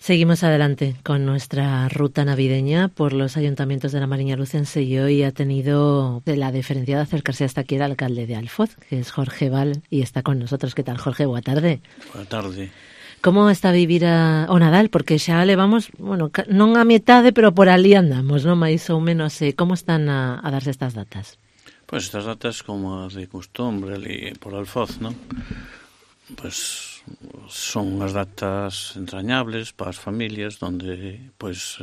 Seguimos adelante con nuestra ruta navideña por los ayuntamientos de la Mariña Lucense y hoy ha tenido la deferencia de acercarse hasta aquí el alcalde de Alfoz, que es Jorge Val, y está con nosotros. ¿Qué tal, Jorge? Boa tarde. Boa tarde. Como está a vivir o Nadal? Porque xa levamos, bueno, non a metade, pero por ali andamos, non? Mais ou menos, como están a darse estas datas? Pois estas datas como de costumbre ali por Alfoz, non? Pois son unhas datas entrañables para as familias donde, pois,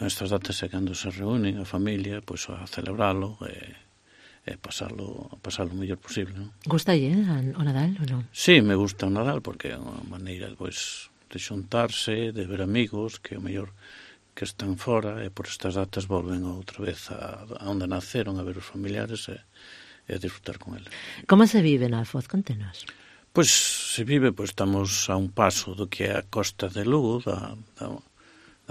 estas datas é cando se reúnen a familia, pois, a celebralo e pasalo o mellor posible, non? Gustalle o Nadal ou non? Sí, me gusta o Nadal porque é unha maneira, pois, de xuntarse, de ver amigos que o mellor que están fora e por estas datas volven outra vez a onde naceron, a ver os familiares e a disfrutar con eles. Como se vive na Alfoz? Contenos. Pois se vive, pois estamos a un paso do que é a costa de Lugo, da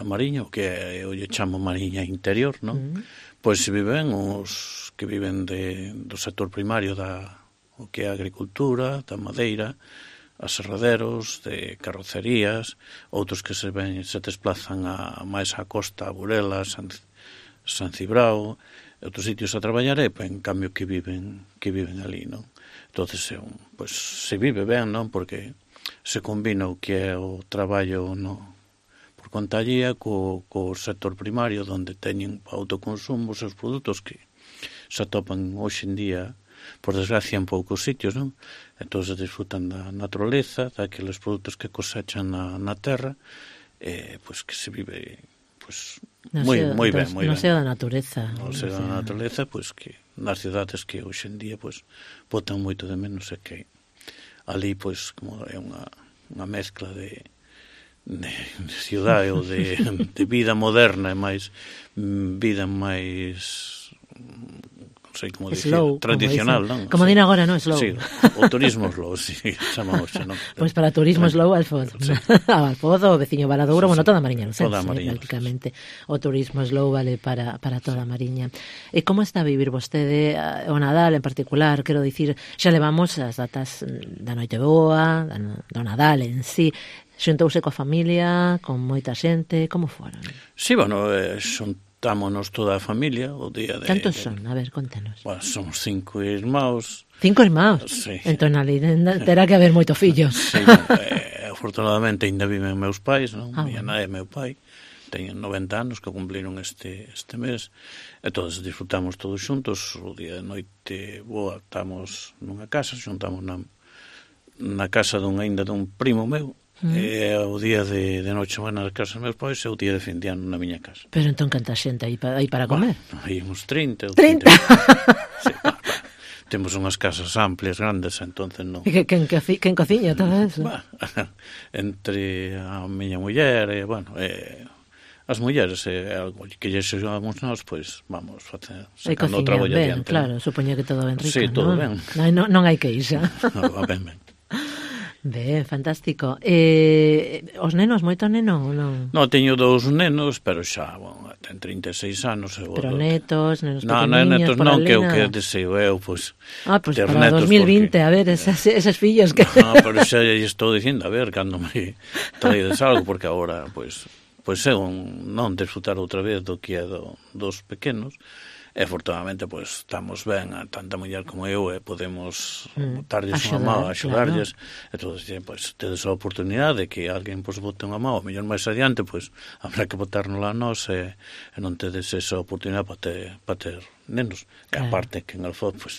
Mariña, o que é, eu lle chamo Mariña Interior, non? Pois se viven os que viven do sector primario o que é a agricultura, da madeira, aserraderos, de carrocerías, outros que se desplazan máis á costa, a Burela, San Cibrao, outros sitios a traballar, e en cambio que viven ali, non? Entonces, pois, se vive ben, non? Porque se combina o que é o traballo por conta allía co sector primario, onde teñen autoconsumo os seus produtos que se atopan hoxe en día, por desgracia, en poucos sitios, non? Entón, se disfrutan da naturaleza, daqueles produtos que cosechan na terra, pois que se vive pois moi ben. No seo da natureza. No seo da natureza, pois que nas cidades que hoxe en día pois botan moito de menos, e que ali pois como é unha mezcla de cidade ou de vida moderna e máis vida máis non sei como dicir, tradicional, non? Como din agora, non? Slow. Sí, o turismo slow, sí, chamamos, non? Pois para turismo slow, Alfoz. Sí. Alfoz, o veciño Valadouro, bueno, toda a Mariña Lucense, toda a Mariña, prácticamente. O turismo slow vale para toda a Mariña. E como está a vivir vostede o Nadal en particular? Quero dicir, xa levamos as datas da Noite Boa, do Nadal en sí. Xuntouse coa familia, con moita xente, como foron? Sí, bueno, xuntámonos toda a familia o día de... Cantos son? A ver, contanos. Bueno, somos 5 irmãos. 5 irmãos? Sí. Entón, ali terá que haber moito fillo. Sí, afortunadamente ainda viven meus pais, non? Miña nai e meu pai teñen 90 anos que cumpliron este mes, e todos disfrutamos todos xuntos. O día de Noite Boa estamos nunha casa, xuntamos na casa dun primo meu, e o día de Nochebuena nas casas dos meus pais e o día de fin de ano na miña casa. Pero entón canta xente aí para comer? Aí uns 30 ou 30? Sí, temos unhas casas amplias, grandes, entonces non... Quen cociña todo eso? Entre a miña muller e, bueno, as mulleres algo que lle xogamos nós, pois vamos sacando o traballo adiante. Claro, supoño que todo ben rico, sí, todo ben. Non hai queixa. Va ben. Ben, fantástico. Os nenos, moito neno ou non? Non, teño 2 nenos, pero xa, bueno, ten 36 anos. Pero netos pequeniños, netos por non, ali, que o que deseo eu, pois... Pois para 2020, a ver, eses fillos que... Non, pero xa lle estou dicindo, a ver, cando me traedes algo, porque agora, pois é non disfrutar outra vez do que é dos pequenos. E, afortunadamente, pois, estamos ben, tanta muller como eu, e podemos botarlles unha mão, axudarlles, claro. E todos, pois, tedes a oportunidade de que alguén, pois, bote unha mão, o mellor máis adiante, pois, habrá que botárnosla a nós, e non tedes esa oportunidade para ter nenos. E, aparte, que en Alfoz, pois,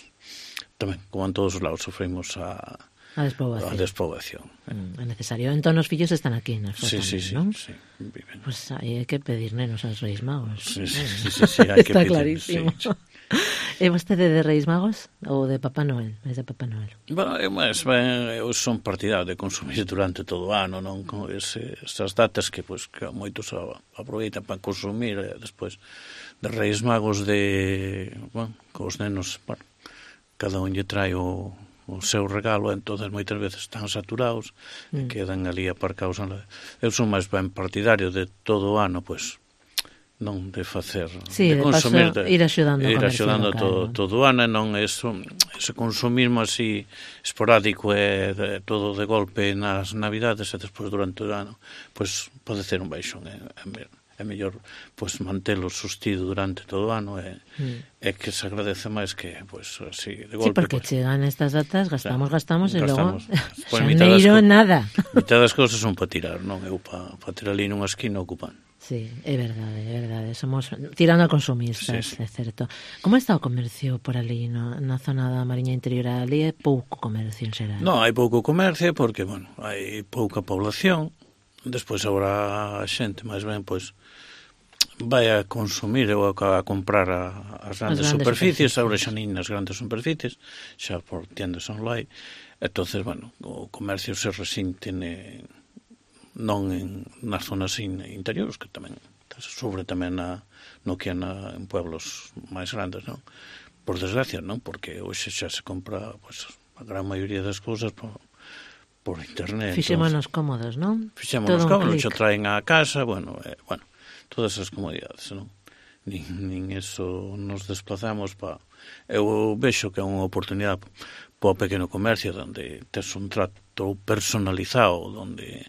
tamén, como en todos os lados, sofrimos a despoboación. É necesario. Entón, os fillos están aquí, nas Alfoz tamén, non? Sí, viven. Pois hai que pedir nenos aos Reis Magos. Sí, hai que pedir. Está clarísimo. E vostede de Reis Magos ou de Papá Noel? Mais de Papá Noel? Bueno, eu son partidario de consumir durante todo o ano, non? Con esas datas que moitos aproveitan para consumir, e despois de Reis Magos cos nenos, cada un lle trae o seu regalo, entonces moitas veces están saturados e quedan ali aparcados. Eu son máis ben partidario de todo o ano, pois non de facer, sí, de consumir, paso, ir axudando todo o ano, e non ese consumismo así esporádico e todo de golpe nas navidades e despois durante o ano, pois pode ser un baixón, é mellor pois mantelo sustido durante todo o ano e que se agradece máis que pois así de golpe. Sí, porque chegan estas datas, gastamos e logo xaneiro nada. Mitad das cousas son para tirar, non? Eu para tirar ali nunha esquina ocupan. Sí, é verdade. Somos tirando a consumistas, sí. É certo. Como está o comercio por ali na zona da Mariña Interior? Ali é pouco comercio en xeral. Non, hai pouco comercio porque, bueno, hai pouca población. Despois agora a xente máis ben pois vai a consumir ou a comprar as grandes superficies, agora xa nin nas grandes superficies, xa por tiendas online. Entonces, bueno, o comercio se resinte non nas zonas interiores, que tamén sobre tamén no que en pueblos máis grandes, non? Por desgracia, non? Porque hoxe xa se compra pois a gran maioría das cousas por internet. Fixémonos cómodos, non? Fixémonos cómodos, xa traen á casa, bueno, todas as comodidades, non? Nin eso nos desplazamos eu vexo que é unha oportunidade para o pequeno comercio onde tes un trato personalizado, onde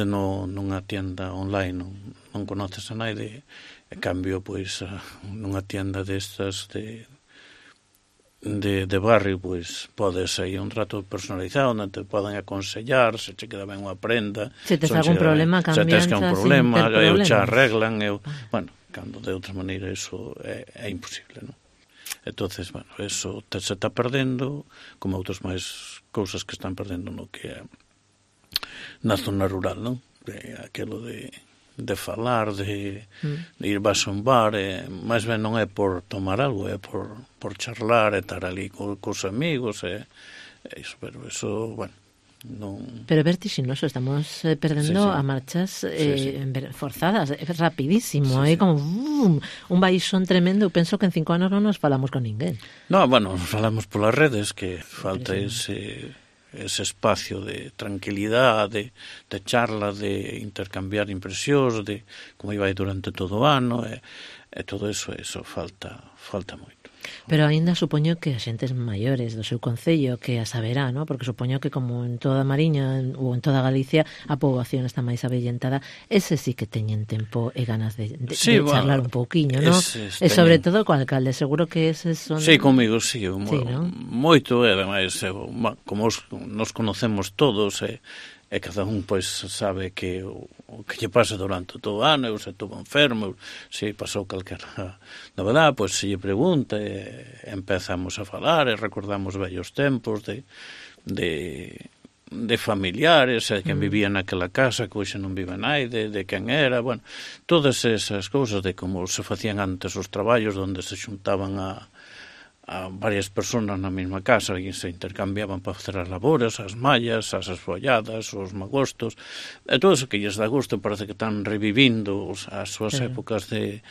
nunha tienda online non conoces a naide, e cambio, pois, nunha tienda destas de barrio, pois podes aí un trato personalizado onde te poden aconsellar se che queda ben unha prenda, se tes algún problema, cambianza, se tes que un problema, eu che arreglan, bueno, cando de outra maneira eso é imposible, non? Entonces, bueno, eso se está perdendo, como outras máis cousas que están perdendo no que é na zona rural, non? Aquilo de falar, de ir vas a un bar, máis ben non é por tomar algo, é por charlar, e estar ali cos amigos, iso, pero eso, bueno, non... Pero é vertiginoso, estamos perdendo a marchas forzadas, é rapidísimo, é como un baixón tremendo. Eu penso que en 5 anos non nos falamos con ninguén. No, bueno, nos falamos polas redes, que falta ese espacio de tranquilidade, de charla, de intercambiar impresións, de como iba durante todo o ano, e todo eso falta moito. Pero aínda supoño que as xentes maiores do seu concello que a saberá, ¿no? Porque supoño que como en toda a Mariña ou en toda Galicia a poboación está máis avellentada, ese sí que teñen tempo e ganas de charlar un pouquiño, ¿no? E sobre todo co alcalde, seguro que eses son... Sí, comigo, sí, moito, e ademais, como nos conocemos todos, e cada un pois sabe que o que lle pasa durante todo o ano, eu se estuvo enfermo, se pasou calquera novedade, pois se lle pregunta, e empezamos a falar, e recordamos vellos tempos de familiares, de quen vivía naquela casa, que hoxe non vive naide, de quen era, bueno, todas esas cousas de como se facían antes os traballos, onde se xuntaban a varias personas na mesma casa e se intercambiaban para facer as labores, as mallas, as esfolladas, os magostos, e todo eso que lles dá gusto, parece que están revivindo as súas épocas de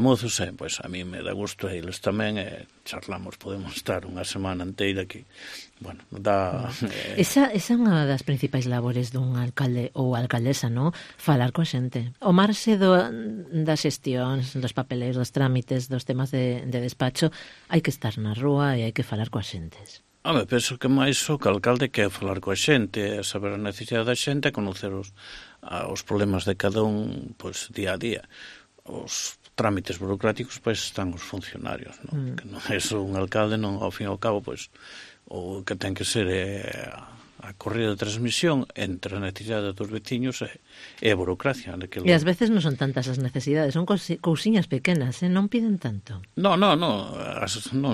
mozos, e pois a mí me dá gusto, e eles tamén, charlamos, podemos estar unha semana inteira que, bueno, dá... Esa é unha das principais labores dun alcalde ou alcaldesa, non? Falar coa xente. O marxe das xestións, dos papeleiros, dos trámites, dos temas de despacho, hai que estar na rúa e hai que falar coas xentes. Home, penso que máis o que o alcalde quer falar coa xente, saber a necesidade da xente, conocer os problemas de cada un, pois, día a día. Os trámites burocráticos, pois, están os funcionarios, non? Que non é só un alcalde, non, ao fin e ao cabo, pois, o que ten que ser a corrida de transmisión entre a necesidade dos veciños e a burocracia. E ás veces non son tantas as necesidades, son cousiñas pequenas, non piden tanto. Non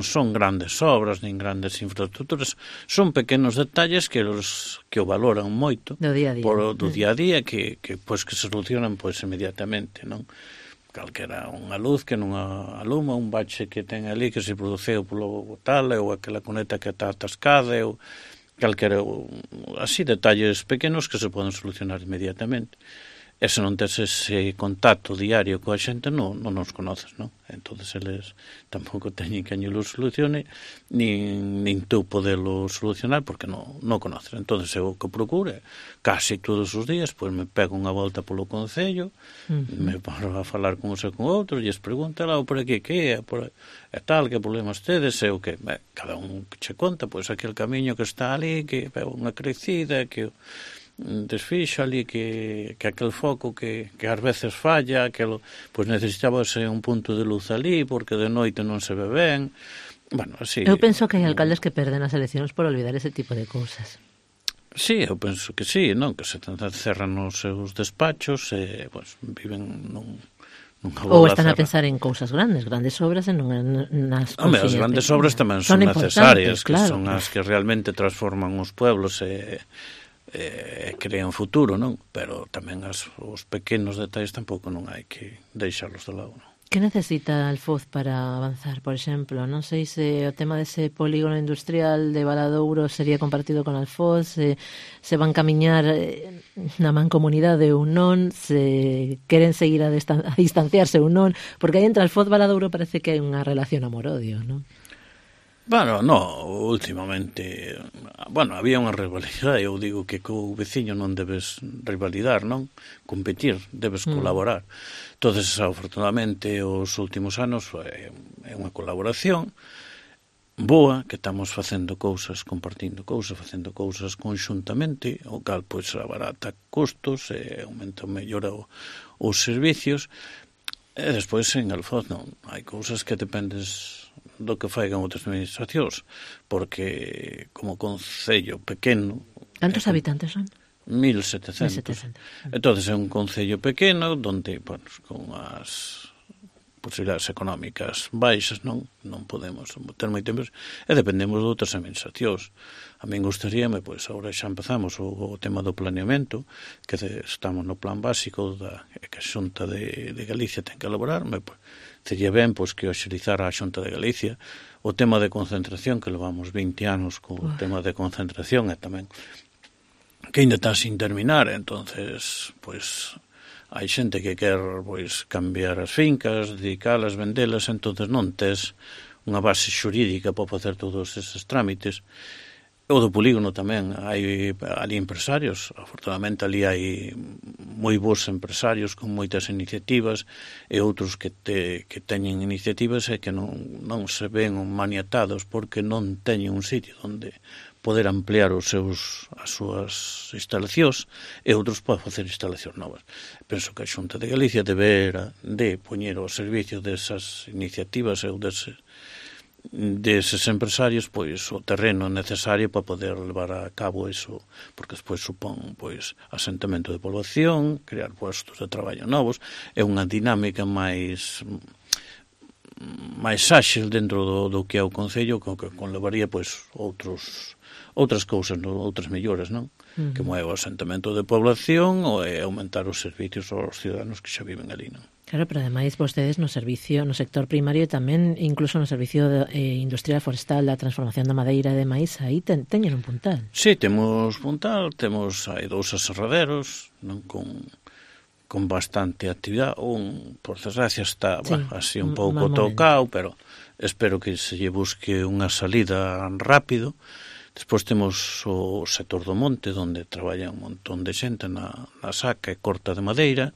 son grandes obras, nin grandes infraestructuras, son pequenos detalles que o valoran moito do día a día, do día a día, que se solucionan inmediatamente, non? Calquera unha luz que non aluma, un bache que ten ali que se produceu polo tal, ou aquela cuneta que está atascada, ou calquera, así detalles pequenos que se poden solucionar inmediatamente. E se non tes ese contacto diario coa xente, non nos conoces, non? Entón, eles tampouco teñen que añelo solucione, nin tú podelo solucionar, porque non conoces. Entón, eu o que procure, casi todos os días, pois me pego unha volta polo concello, me paro a falar con uns e con outros, e es pregunta lá, por aquí, que é? E tal, que problemas tedes? E o que? Cada un que che conta, pois aquel camiño que está ali, que é unha crecida, que desfixo ali, que aquel foco que ás veces falla, pois necesitábase un punto de luz ali porque de noite non se ve ben. Bueno, así. Eu penso que hai alcaldes que perden as eleccións por olvidar ese tipo de cousas. Sí, eu penso que sí, non? Que se cerran os seus despachos e pois viven ou están a pensar en cousas grandes obras e non nas cosillas. As grandes obras tamén son necesarias, que son as que realmente transforman os pueblos e crean futuro, non? Pero tamén os pequenos detalles tampouco non hai que deixarlos de lado, non? Que necesita Alfoz para avanzar, por exemplo? Non sei se o tema dese polígono industrial de Valadouro sería compartido con Alfoz, se van camiñar na mancomunidade ou non, se queren seguir a distanciarse ou non, porque aí entre Alfoz e Valadouro parece que hai unha relación amor-odio, non? Bueno, últimamente, había unha rivalidade, eu digo que co veciño non debes rivalidar, non? Competir, debes colaborar. Entonces, afortunadamente, os últimos anos é unha colaboración boa, que estamos facendo cousas, compartindo cousas, facendo cousas conxuntamente, o cal, pois, abarata custos e aumenta, mellora os servicios. E despois, en Alfoz, non, hai cousas que dependes do que faigan outras administracións, porque como concello pequeno... Cantos habitantes son? 1.700. Entón, é un concello pequeno onde, bueno, con as posibilidades económicas baixas non podemos ter moito tempo e dependemos de outras administracións. A min gustaríame, pois, agora xa empezamos o tema do planeamento, que estamos no plan básico que a Xunta de Galicia ten que elaborar, pois, sería ben, pois, que o axilizara a Xunta de Galicia o tema de concentración, que levamos 20 anos co tema de concentración, e tamén que ainda está sin terminar. Entonces, pois, hai xente que quer, pois, cambiar as fincas, dedicalas, vendelas, entonces non tes unha base xurídica para facer todos eses trámites. O do polígono tamén, hai ali empresarios, afortunadamente ali hai moi bons empresarios con moitas iniciativas e outros que teñen iniciativas e que non se ven maniatados porque non teñen un sitio onde poder ampliar as súas instalacións e outros poden facer instalacións novas. Penso que a Xunta de Galicia debera de poñer ao servicio desas iniciativas ou deses empresarios, pois, o terreno necesario para poder levar a cabo eso, porque despois supón, pois, asentamento de población, crear postos de traballo novos, é unha dinámica máis áxil dentro do que é o concello, que conlevaría, pois, outras cousas, outras melloras, non? Como é o asentamento de población ou é aumentar os servicios aos ciudadanos que xa viven ali, non? Claro, pero ademais vostedes no servicio, no sector primario e tamén incluso no servicio industrial forestal da transformación da madeira e demais, aí teñen un puntal. Sí, temos puntal, hai 2 aserraderos, non, con bastante actividade. Por desgracia, está así un pouco tocado, pero espero que se lle busque unha salida rápido. Despois temos o sector do monte, onde traballa un montón de xente na saca e corta de madeira.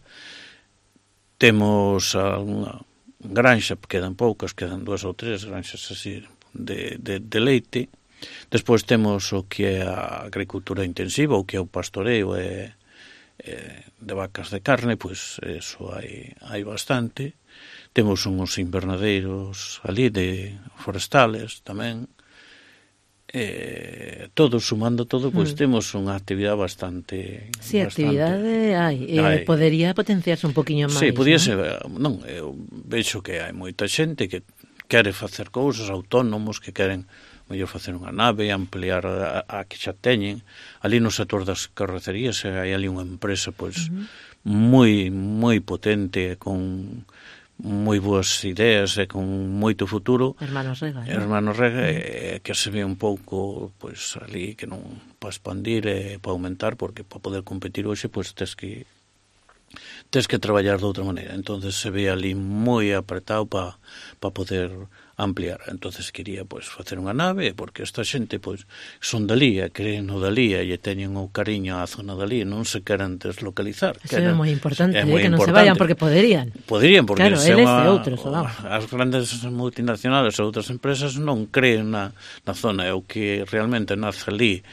Temos unha granxa, quedan poucas, quedan 2 ou 3 granxas así de leite. Despois temos o que é a agricultura intensiva, o que é o pastoreo de vacas de carne, pois eso hai bastante. Temos uns invernadeiros ali de forestales tamén. Sumando todo, pois temos unha actividade bastante... Sí, actividade hai. Podería potenciarse un poquinho máis. Sí, podía ser. Non, eu vexo que hai moita xente que quere facer cousas, autónomos que queren mellor facer unha nave, ampliar a que xa teñen. Ali no sector das carrocerías hai ali unha empresa pois moi potente, con moi boas ideas e con moito futuro. Hermanos Rega, que se ve un pouco pois ali que non para expandir e para aumentar, porque para poder competir hoxe pois tes que tes que traballar de outra maneira. Entonces se ve ali moi apretado para poder ampliar. Entonces quería pois facer unha nave, porque esta xente pois son dalí, creen no dalí e teñen o cariño á zona dalí, non se queren deslocalizar. Eso é moi importante, que non se vayan porque poderían. Poderían, porque claro, eles e outros, as grandes multinacionales e outras empresas non creen na zona, é o que realmente nace ali,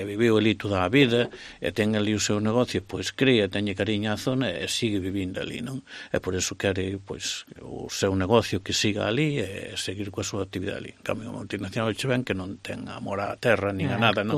viviu ali toda a vida e ten ali o seu negocio, pois crea, teñe cariño á zona e sigue vivindo ali, non? E por eso quere pois o seu negocio que siga ali e seguir coa súa actividade ali. En cambio, a multinacional che ven que non ten amor á terra nin a nada, non?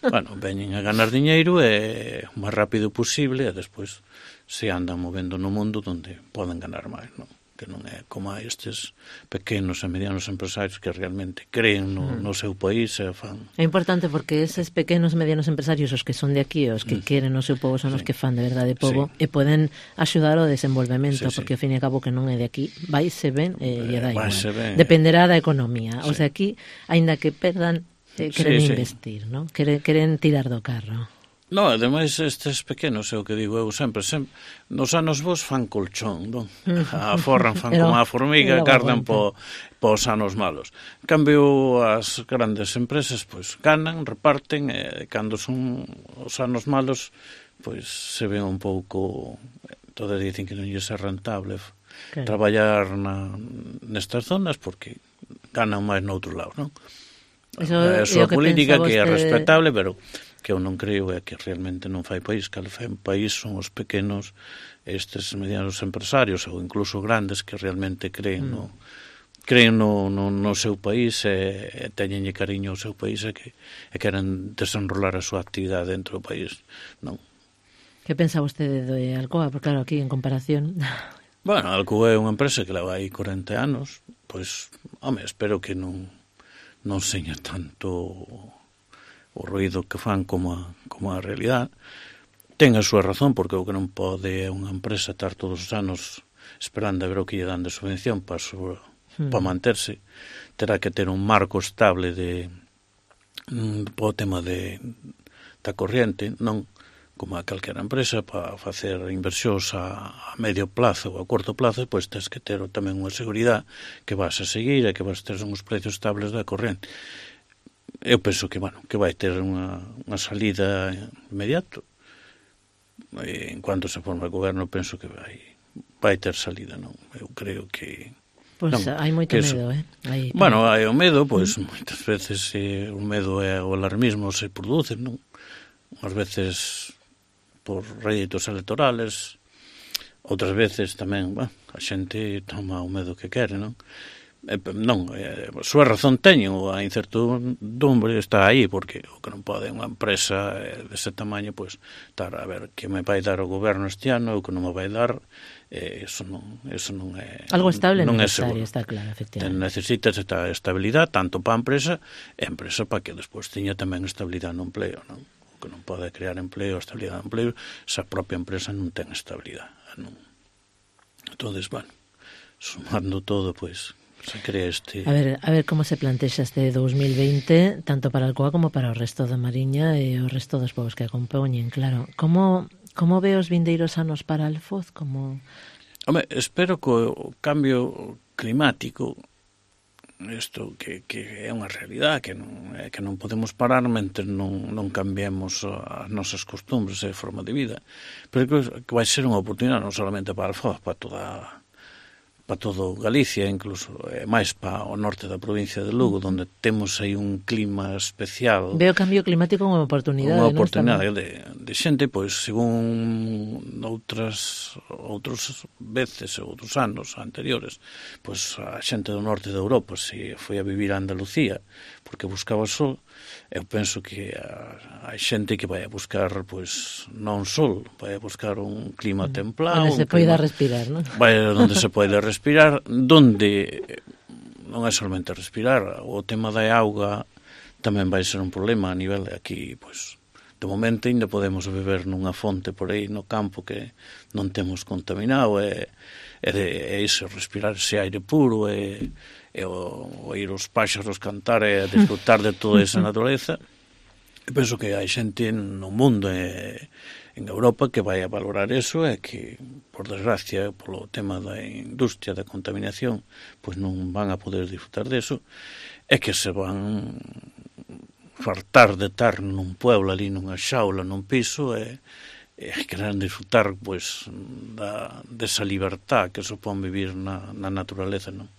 Bueno, veñen a ganar diñeiro e o máis rápido posible e despois se andan movendo no mundo onde poden ganar máis, non? Que non é como a estes pequenos e medianos empresarios que realmente creen no seu país e fan. É importante porque eses pequenos e medianos empresarios, os que son de aquí, os que queren o seu povo, son os que fan de verdade povo e poden axudar ao desenvolvemento, porque ao fin e a cabo que non é de aquí, vaise ben e lle dá igual. Dependerá da economía. Os de aquí, aínda que perdan, queren investir, non? Queren tirar do carro. No, ademais estes pequenos, é o que digo eu sempre, nos anos vos fan colchón, non? Aforran, fan como a formiga, cardan pos anos malos. En cambio, as grandes empresas, pois, ganan, reparten, e cando son os anos malos, pois, se ven un pouco, todos dicen que non é rentable traballar nestas zonas, porque ganan máis noutros lados, non? É a súa política que é respetable, pero que eu non creo é que realmente non fai país, que fai país son os pequenos, estes medianos empresarios ou incluso grandes que realmente creen no seu país e teñenlle cariño ao seu país e queren desenrolar a súa actividade dentro do país, non? Que pensa vostede de Alcoa? Porque claro, aquí en comparación... Bueno, Alcoa é unha empresa que leva aí 40 anos, pois, home, espero que non seña tanto o ruído que fan como a realidade. Ten a súa razón, porque o que non pode unha empresa estar todos os anos esperando a ver o que lle dan de subvención para manterse. Terá que ter un marco estable para o tema da corriente, non como a calquera empresa, para facer inversións a medio plazo ou a corto plazo, pois tens que ter tamén unha seguridade que vas a seguir e que vas a ter uns precios estables da corriente. Eu penso que, que vai ter unha salida inmediato. En cuanto se forma o goberno, penso que vai ter salida, non? Eu creo que... Pois hai moito medo, Bueno, hai o medo, pois moitas veces o medo e o alarmismo se producen, non? Unhas veces por réditos electorales, outras veces tamén, a xente toma o medo que quere, non? Non, a súa razón teñen, a incertidumbre está aí, porque o que non pode unha empresa dese tamaño, pois, estar a ver que me vai dar o goberno este ano, o que non me vai dar, eso non é... Algo estable non necesario, está claro, efectivamente. Necesitas esta estabilidade, tanto para a empresa, para que despois teña tamén estabilidade no empleo, non? O que non pode crear empleo, estabilidade no empleo, se a propia empresa non ten estabilidade, non? Entón, sumando todo, pois... se crea este... A ver como se plantexa este 2020, tanto para Alcoa como para o resto da Mariña e o resto dos povos que a compoñen, claro. Como ve os vindeiros anos para Alfoz? Home, espero que o cambio climático, isto que é unha realidade, que non podemos parar mentre non cambiemos as nosas costumbres e forma de vida, pero que vai ser unha oportunidade non solamente para Alfoz, para todo Galicia, incluso máis para o norte da provincia de Lugo, onde temos aí un clima especial. Veo o cambio climático como oportunidade. Unha oportunidade de xente, pois, según outros veces, outros anos anteriores, pois a xente do norte de Europa se foi a vivir a Andalucía, porque buscaba sol. Eu penso que hai xente que vai a buscar, pois, non sol, vai a buscar un clima templado. Onde se poida respirar, non? Vai onde se pode respirar, donde non é solamente respirar, o tema da auga tamén vai ser un problema a nivel de aquí, pois, de momento ainda podemos beber nunha fonte por aí no campo que non temos contaminado, e iso, respirar ese aire puro, e oír os páxaros cantar e desfrutar de toda esa natureza. penso que hai xente no mundo en Europa que vai a valorar eso e que, por desgracia, polo tema da industria da contaminación, pois non van a poder disfrutar deso, e que se van fartar de estar nun pueblo ali, nunha xaula, nun piso, e querer disfrutar pois desa libertad que supón vivir na naturaleza, non?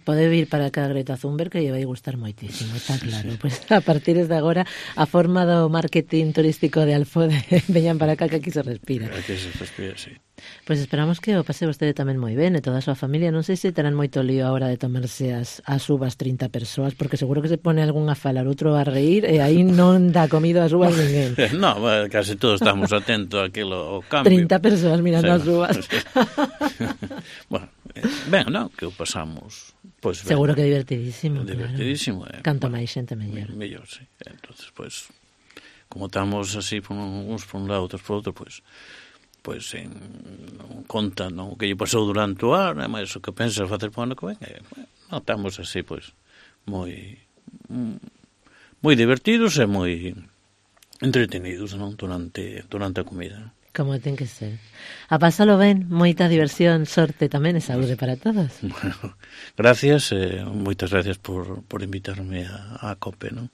Pode vir para cá Greta Thunberg que lle vai gustar moitísimo, está claro. Pois a partir de agora a forma do marketing turístico de Alfode veñan para cá que aquí se respira. Aquí se respira, sí. Pois esperamos que o pase vostede tamén moi ben e toda a súa familia. Non sei se terán moito lío a hora de tomarse as uvas 30 persoas, porque seguro que se pone algún a falar, outro a reír e aí non dá comido as uvas ninguén. No, casi todos estamos atentos àquilo, ao cambio. 30 persoas mirando as uvas. Bueno, ben, non, que o pasamos pois ben. Seguro que divertidísimo, divertidísimo, claro. Canto máis xente mellor. Mellor, sí. Entonces, pois, como estamos así uns por un lado, outros por outro, pois non conta non, o que lle pasou durante o ano, mas o que pensas facer para o ano que ven, non estamos así, pois, moi divertidos e moi entretenidos, non, durante a comida. Como ten que ser. A pasalo ben, moita diversión, sorte tamén e saúde para todos. Bueno, gracias, moitas gracias por invitarme a COPE, non?